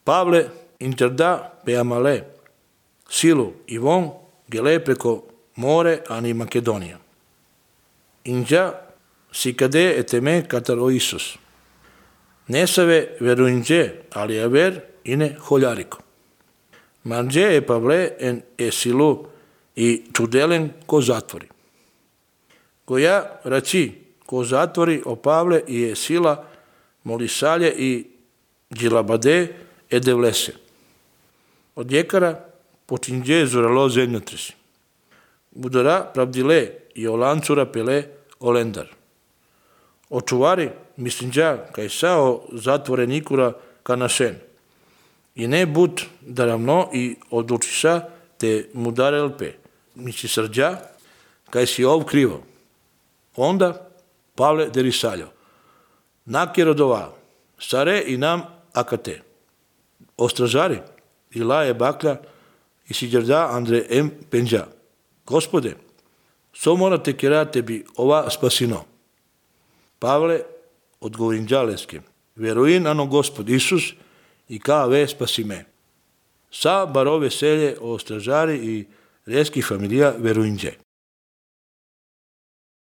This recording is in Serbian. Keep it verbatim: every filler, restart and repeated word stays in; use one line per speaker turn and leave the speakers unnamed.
Pavle interda pe amale, silu i von gele preko more ani Makedonija. Inđa si kade eteme katar o Isus. Nesave veruinđe, ali aver ine holjariko. Marđe e Pavle en e silu i čudelen ko zatvori. Koja raci ko zatvori o Pavle i e sila molisalje i džilabade e devlese. Od jekara počinđe zuralo zemljotresi. Budara pravdile i olancura pele olendar. Očuvari mislinđa kaj sao zatvorenikura kanašen. I ne bud daravno i odlučiša te mudarelpe. Misli srđa kaj si ov krivo. Onda Pavle derisaljo. Nakje dovao. Sare i nam akate. Ostražari i laje baklja i si džerda Andre em penđa. Gospode, so morate kera tebi ova spasino. Pavle odgovorinđa leske. Veruin ano Gospod Isus i ka ve spasi me. Sa baro veselje o stražari i reski familija veruinđe.